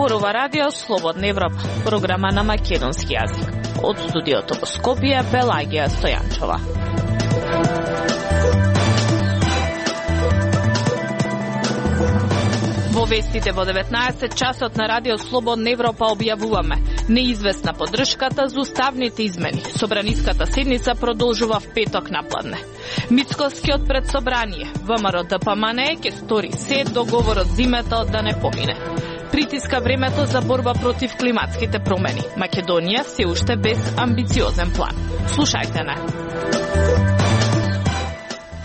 Зборува радио Слободна Европа, програма на македонски јазик. Од студиото во Скопје, Белагија Стојанчова. Во вестите во 19 часот на радио Слободна Европа објавуваме неизвестна поддршката за уставните измени. Собраниската седница продолжува в петок напладне. Мицковскиот предсобрание, ВМРО ДПМН ќе стори се договорот зимата да не помине. Притиска времето за борба против климатските промени. Македонија се уште без амбициозен план. Слушајте не.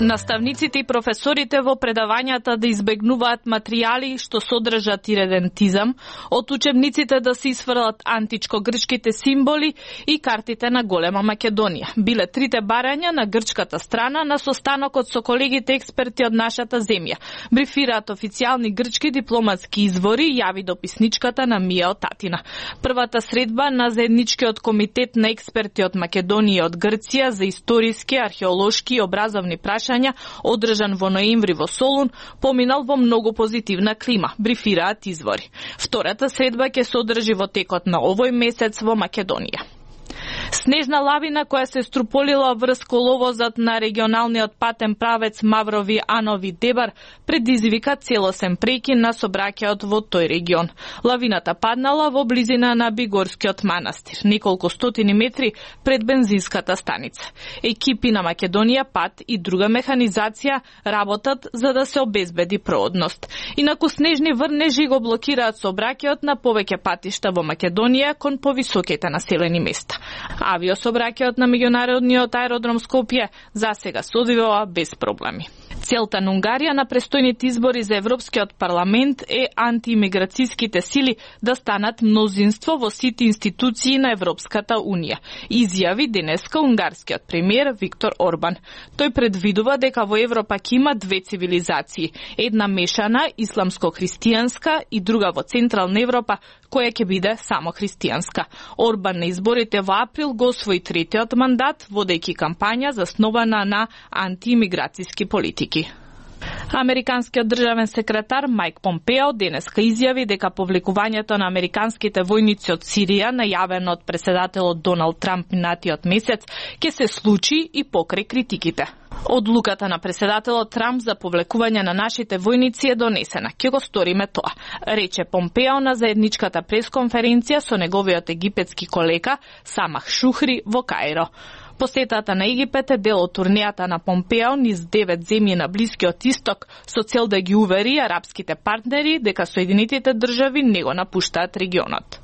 Наставниците и професорите во предавањата да избегнуваат материјали што содржат иредентизам, од учебниците да се исфрлат античко-грчките символи и картите на голема Македонија. Биле трите барања на грчката страна на состанокот со колегите експерти од нашата земја. Брифираат официјални грчки дипломатски извори, јави дописничката на Мија Татина. Првата средба на заедничкиот комитет на експерти од Македонија и од Грција за историски, археолошки и образовни прашања одржан во ноември во Солун, поминал во многу позитивна клима, брифираат извори. Втората средба ќе се одржи во текот на овој месец во Македонија. Снежна лавина која се струполила врз коловозот на регионалниот патен правец Маврови Анови Дебар предизвика целосен прекин на сообраќајот во тој регион. Лавината паднала во близина на Бигорскиот манастир, неколку стотини метри пред бензинската станица. Екипи на Македонија Пат и друга механизација работат за да се обезбеди проодност. Инаку снежни врнежи го блокираат сообраќајот на повеќе патишта во Македонија кон повисоките населени места. Авиосообраќајот на меѓународниот аеродром Скопје засега се одвива без проблеми. Целта на Унгарија на престојните избори за Европскиот парламент е антиимиграцијските сили да станат мнозинство во сите институции на Европската Унија, изјави денеска унгарскиот премиер Виктор Орбан. Тој предвидува дека во Европа ќе има две цивилизации, една мешана исламско-христијанска и друга во Централна Европа која ќе биде само христијанска. Орбан на изборите во април го освои третиот мандат, водејќи кампања заснована на антиимиграцијски политики. Американскиот државен секретар Мајк Помпео денеска изјави дека повлекувањето на американските војници од Сирија, најавено од преседателот Доналд Трамп минатиот месец, ќе се случи и покрај критиките. Одлуката на преседателот Трамп за повлекување на нашите војници е донесена. Ќе го сториме тоа, рече Помпео на заедничката пресконференција со неговиот египетски колега Самах Шухри во Каиро. Посетата на Египет е дел од турнејата на Помпео низ 9 земји на Блискиот Исток со цел да ги увери арапските партнери дека Соединетите држави не го напуштаат регионот.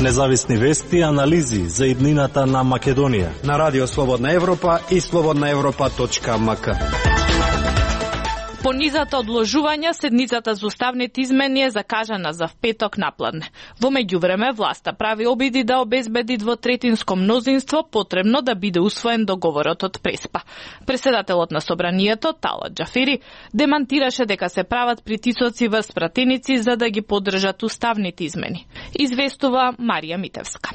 Независни вести и анализи за иднината на Македонија на Радио Слободна Европа и slobodnaevropa.mk. По низата одложување, седницата за уставните измени е закажана за петок напладне. Во меѓувреме, власта прави обиди да обезбеди двотретинско мнозинство, потребно да биде усвоен договорот од Преспа. Преседателот на собранието, Талат Џафери, демантираше дека се прават притисоци врз пратеници за да ги поддржат уставните измени. Известува Марија Митевска.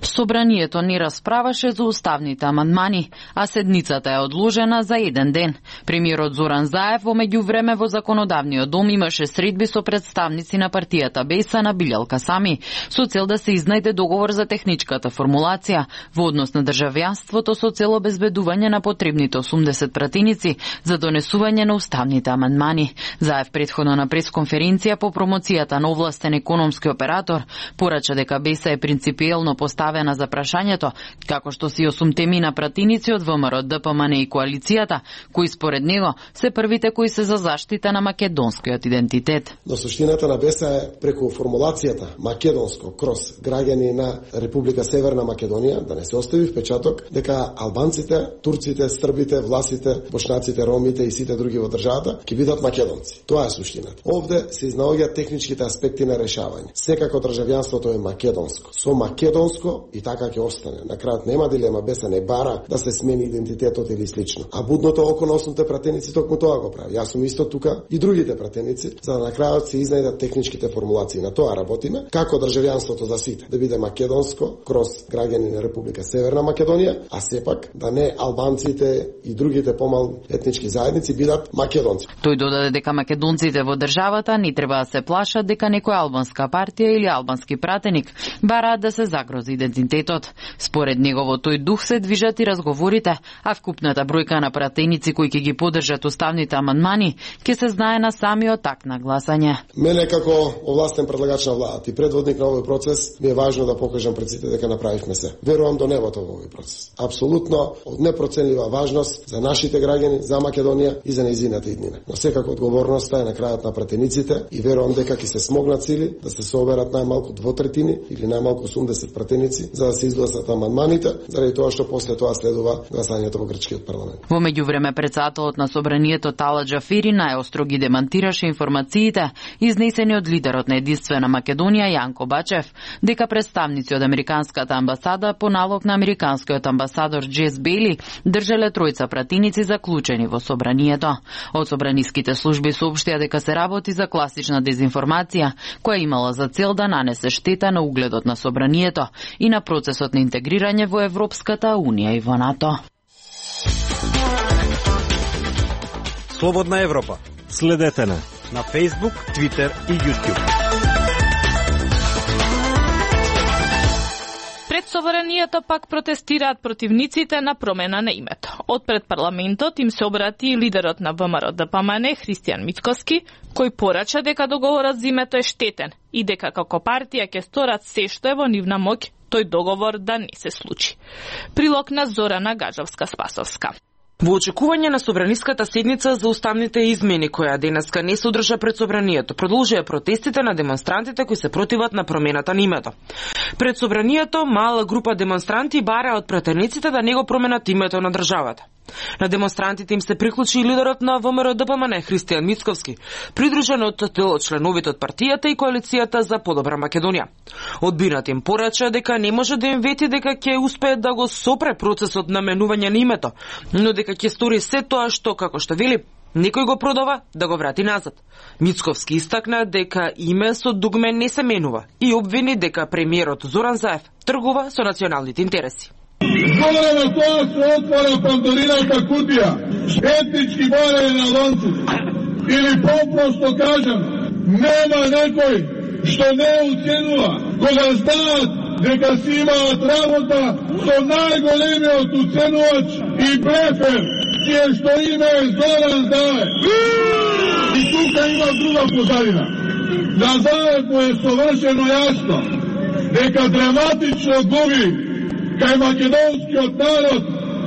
Собранието не расправаше за уставните амандмани, а седницата е одложена за еден ден. Премиерот Зоран Заев во меѓувреме во законодавниот дом имаше средби со представници на партијата Беса на Билјал Касами, со цел да се изнајде договор за техничката формулација во однос на државјанството со цел обезбедување на потребните 80 пратеници за донесување на уставните амандмани. Заев претходно на пресконференција по промоцијата на овластен економски оператор порача дека Беса е принципиелно поставена за прашањето, како што си 8 мина пратеници од ВМРО ДПМН и коалицијата, кои според него се првите кои се за заштита на македонскиот идентитет. Но суштината на Беса е преку формулацијата македонско кроз граѓани на Република Северна Македонија да не се остави впечаток дека албанците, турците, србите, власите, бошнаците, ромите и сите други во државата ќе бидат македонци. Тоа е суштината. Овде се изнаоѓаат техничките аспекти на решавање. Секако државјанството е македонско. Со македонско било и така ќе остане. На крајот нема дилема, без не бара да се смени идентитетот или слично. А будното око на основните пратеници токму тоа го прави. Јас сум исто тука и другите пратеници, за да на крајот се изнајдат техничките формулации. На тоа работиме, како државјанството за сите да биде македонско кроз граѓани на Република Северна Македонија, а сепак да не албанците и другите помални етнички заедници бидат македонци. Тој додаде дека македонците во државата не треба да се плашат дека некоја албанска партија или албански пратеник бараат да се загрози идентитетот. Според него во тој дух се движат и разговорите, а вкупната бројка на пратеници кои ќе ги поддржат уставните амандмани ќе се знае на самиот акт на гласање. Мене како овластен предлагач на владата и предводник на овој процес ми е важно да покажам пред сите дека направивме се. Верувам до небото во овој процес. Апсолутно од непроценлива важност за нашите граѓани, за Македонија и за нејзината иднина. Но секако одговорноста е на крајот на пратениците и верувам дека ќе се смогнат сили да се соберат најмалку 2/3 или најмалку 80 пратеници за да се изгласат амандманите, заради тоа што после тоа следува гласањето во грчкиот парламент. Во меѓувреме председателот на собранието Тала Џафери најостро ги демантираше информациите изнесени од лидерот на Единствена Македонија Јанко Бачев дека представници од американската амбасада по налог на американскиот амбасадор Джес Бейли држеле тројца пратеници заклучени во собранието. Од собраниските служби соопштија дека се работи за класична дезинформација која имала за цел да нанесе штета на угледот на собранието и на процесот на интегрирање во Европската Унија и во НАТО. Слободна Европа. Следете на Facebook, Twitter и YouTube. Пред собранието пак протестираат противниците на промена на името. Од пред парламентот им се обрати и лидерот на ВМРО-ДПМН Христијан Мицковски, кој порача дека договорот за името е штетен и дека како партија ќе сторат се што е во нивна моќ тој договор да не се случи. Прилог на Зорана Гажовска-Спасовска. Во очекување на собраниската седница за уставните измени, која денеска не се одржа пред собранието, продолжија протестите на демонстрантите кои се противат на промената на името. Пред собранието, мала група демонстранти бараа од пратениците да не го променат името на државата. На демонстрантите им се приклучи и лидерот на ВМРО-ДПМН Христијан Мицковски, придружен од членовите од партијата и коалицијата за подобра Македонија. Одбинат им порача дека не може да им вети дека ќе успеат да го сопре процесот на менување на името, но дека ќе стори се тоа што, како што вели, некој го продава да го врати назад. Мицковски истакна дека име со дугме не се менува и обвини дека премиерот Зоран Заев тргува со националните интереси. Зора на тоа се отвора Пандорината кутија, етнички барање на албанците. Или попросто кажам, нема некој што не уценува кога знаат дека си имаат работа со најголемиот уценувач и блефер, чие што име е Зоран Заев. И тука има друга позадина. На Заев му е совршено јасно дека драматично губи кај македонскиот народ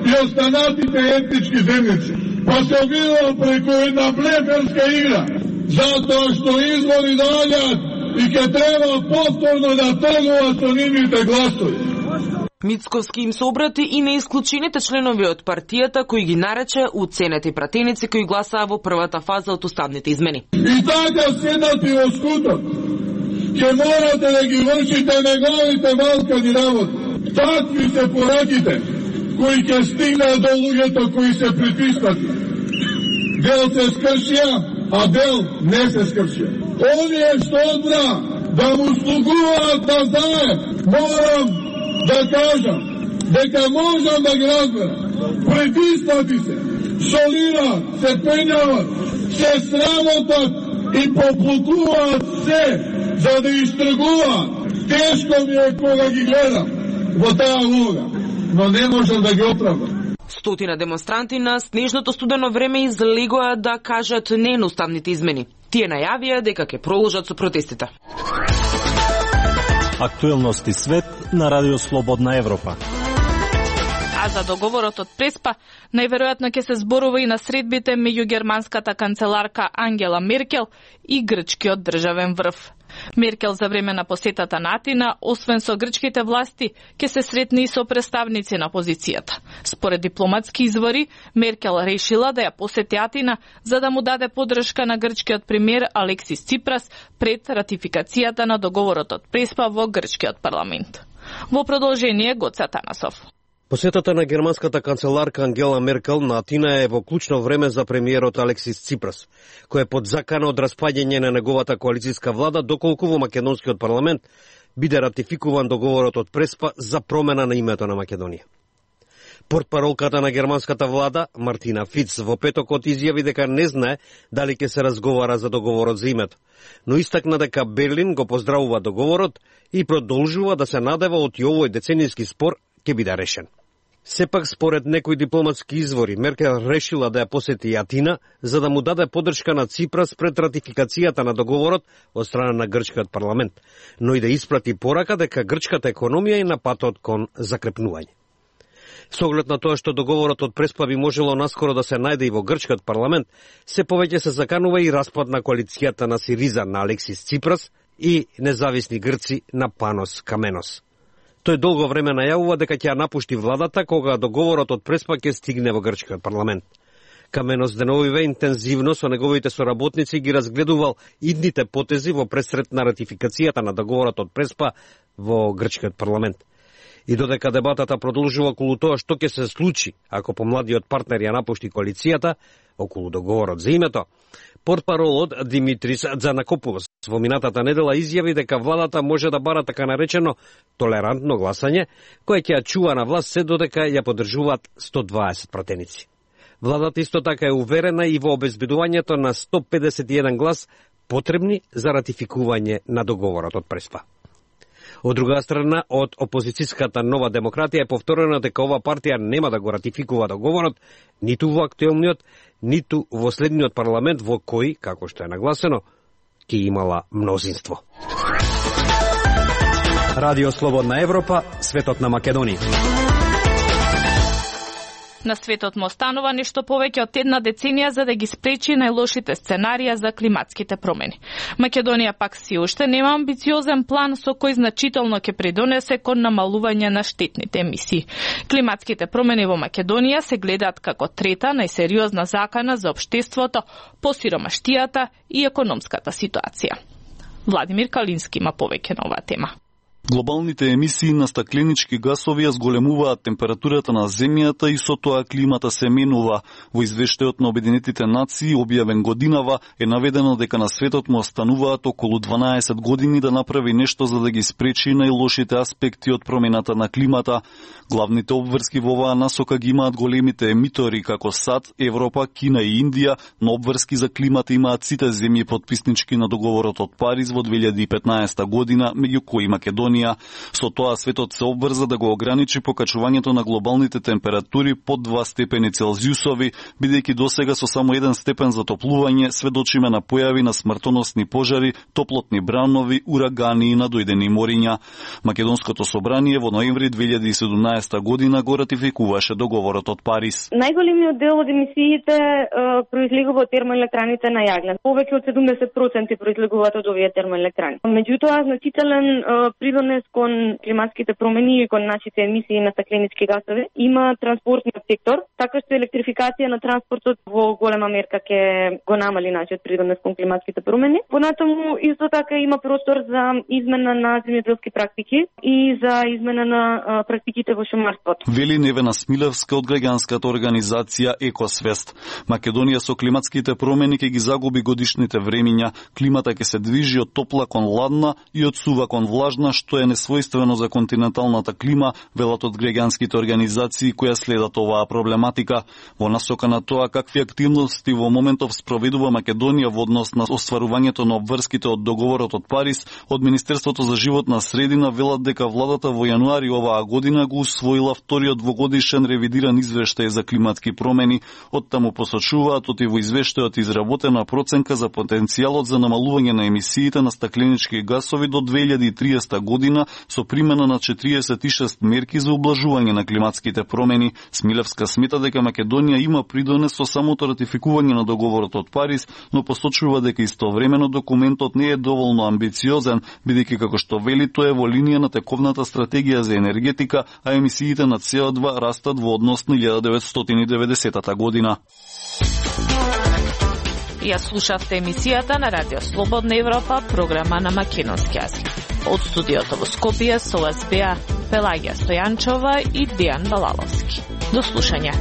и останатите етнички земјици. Па се обидува преку една блеферска игра, затоа што избори доаѓаат и ќе треба повторно да тргува со нивните гласови. Мицковски им се обрати и на исклучените членови од партијата кои ги нарече уценети пратеници кои гласаа во првата фаза од уставните измени. И така седнати во скутот, ќе морате да ги вршите неговите малкани работи. Такви се пораките кои ќе стигнат до луѓето кои се притиснати. Дел се скршија, а дел не се скршија. Оние што одбра да му слугуваат на Заев, морам да кажам дека можам да ги разберам. Притиснати се, солираат, се пењават, се срамотат и поплутуваат се за да истргуваат. Тешко ми е кога ги гледам во таа луга, но не можам да ги оправдам. Стотина демонстранти на снежното студено време излегоа да кажат не на уставните измени. Тие најавија дека ќе продолжат со протестите. Актуелности свет на Радио Слободна Европа. А за договорот од Преспа, најверојатно ќе се зборува и на средбите меѓу германската канцеларка Ангела Меркел и грчкиот државен врв. Меркел за време на посетата на Атина, освен со грчките власти, ќе се сретне и со представници на опозицијата. Според дипломатски извори, Меркел решила да ја посети Атина за да му даде поддршка на грчкиот премиер Алексис Ципрас пред ратификацијата на договорот од Преспа во грчкиот парламент. Во продолжение Гоце Атанасов. Посетата на германската канцеларка Ангела Меркел на Атина е во клучно време за премиерот Алексис Ципрас, кој е под закана од распаѓање на неговата коалицијска влада доколку во македонскиот парламент биде ратификуван договорот од Преспа за промена на името на Македонија. Портпаролката на германската влада, Мартина Фиц, во петокот изјави дека не знае дали ќе се разговара за договорот за името, но истакна дека Берлин го поздравува договорот и продолжува да се надева од овој деценијски спор ќе биде решен. Сепак, според некои дипломатски извори, Меркел решила да ја посети Атина за да му даде поддршка на Ципрас пред ратификацијата на договорот од страна на грчкиот парламент, но и да испрати порака дека грчката економија е на патот кон закрепнување. Со оглед на тоа што договорот од Преспа би можело наскоро да се најде и во грчкиот парламент, се повеќе се заканува и распад на коалицијата на Сириза на Алексис Ципрас и независни грци на Панос Каменос. Тој долго време најавува дека ќе ја напушти владата кога договорот од Преспа ќе стигне во грчкиот парламент. Каменос деновиве интензивно со неговите соработници ги разгледувал идните потези во пресред на ратификацијата на договорот од Преспа во грчкиот парламент. И додека дебатата продолжува околу тоа што ќе се случи ако помладиот партнер ја напушти коалицијата околу договорот за името, портпаролот Димитрис Дзанакопулос во минатата недела изјави дека владата може да бара така наречено толерантно гласање, кое ќе ја чува на власт се додека ја поддржуваат 120 пратеници. Владата исто така е уверена и во обезбедувањето на 151 глас потребни за ратификување на договорот од Преспа. Од друга страна, од опозицијската Нова демократија е повторено дека ова партија нема да го ратификува договорот ниту во актуелниот, ниту во следниот парламент во кој, како што е нагласено, ќе имала мнозинство. Радио Слободна Европа, светот на Македонија. На светот му останува нешто повеќе од една деценија за да ги спречи најлошите сценарија за климатските промени. Македонија пак си уште нема амбициозен план со кој значително ќе придонесе кон намалување на штетните емисии. Климатските промени во Македонија се гледаат како трета најсериозна закана за општеството по сиромаштијата и економската ситуација. Владимир Калински има повеќе на оваа тема. Глобалните емисии на стакленички гасови ја зголемуваат температурата на земјата и со тоа климата се менува. Во извештајот на Обединетите нации, објавен годинава, е наведено дека на светот му остануваат околу 12 години да направи нешто за да ги спречи најлошите аспекти од промената на климата. Главните обврски во оваа насока ги имаат големите емитори како САД, Европа, Кина и Индија, но обврски за климата имаат сите земји потписнички на договорот од Париз во 2015 година, меѓу кои Македонија. Со тоа светот се обврза да го ограничи покачувањето на глобалните температури под 2 степени Целзиусови, бидејќи досега со само 1 степен затоплување сведочиме на појави на смртоносни пожари, топлотни бранови, урагани и надојдени мориња. Македонското собрание во ноември 2017 година го ратификуваше договорот од Париз. Најголемиот дел од емисиите произлегува од термоелектраните на јаглен. Повеќе од 70% произлегуваат од овие термоелектрани. Меѓутоа, значителен придонес кон климатските промени и кон нашите емисии на стакленички гасови има транспортниот сектор, така што електрификација на транспортот во голема мерка ќе го намали нашиот придонес кон климатските промени. Понатаму исто така има простор за измена на земјоделски практики и за измена на практиките во шумарството. Вели Невена Смилевска од граѓанската организација Екосвест. Македонија со климатските промени ќе ги загуби годишните времиња. Климата ќе се движи од топла кон ладна и од сува кон влажна, што е несвојствено за континенталната клима, велат од граѓанските организации која следат оваа проблематика. Во насока на тоа какви активности во моментов спроведува Македонија во однос на остварувањето на обврските од договорот од Париз, од Министерството за животна средина велат дека владата во јануари оваа година го усвоила вториот двогодишен ревидиран извештај за климатски промени. Од таму посочуваат оти во извештајот изработена проценка за потенцијалот за намалување на емисиите на стакленички гасови до 2030 година со примена на 46 мерки за ублажување на климатските промени. Смилевска смета дека Македонија има придонес со самото ратификување на договорот од Париз, но посочува дека истовремено документот не е доволно амбициозен, бидејќи како што вели тоа е во линија на тековната стратегија за енергетика, а емисиите на CO2 растат во однос на 1990 година. Ја слушавте емисијата на Радио Слободна Европа, програма на македонски јазик. Од студиото во Скопје со вас беа Пелагија Стојанчова и Дејан Балаловски. До слушање.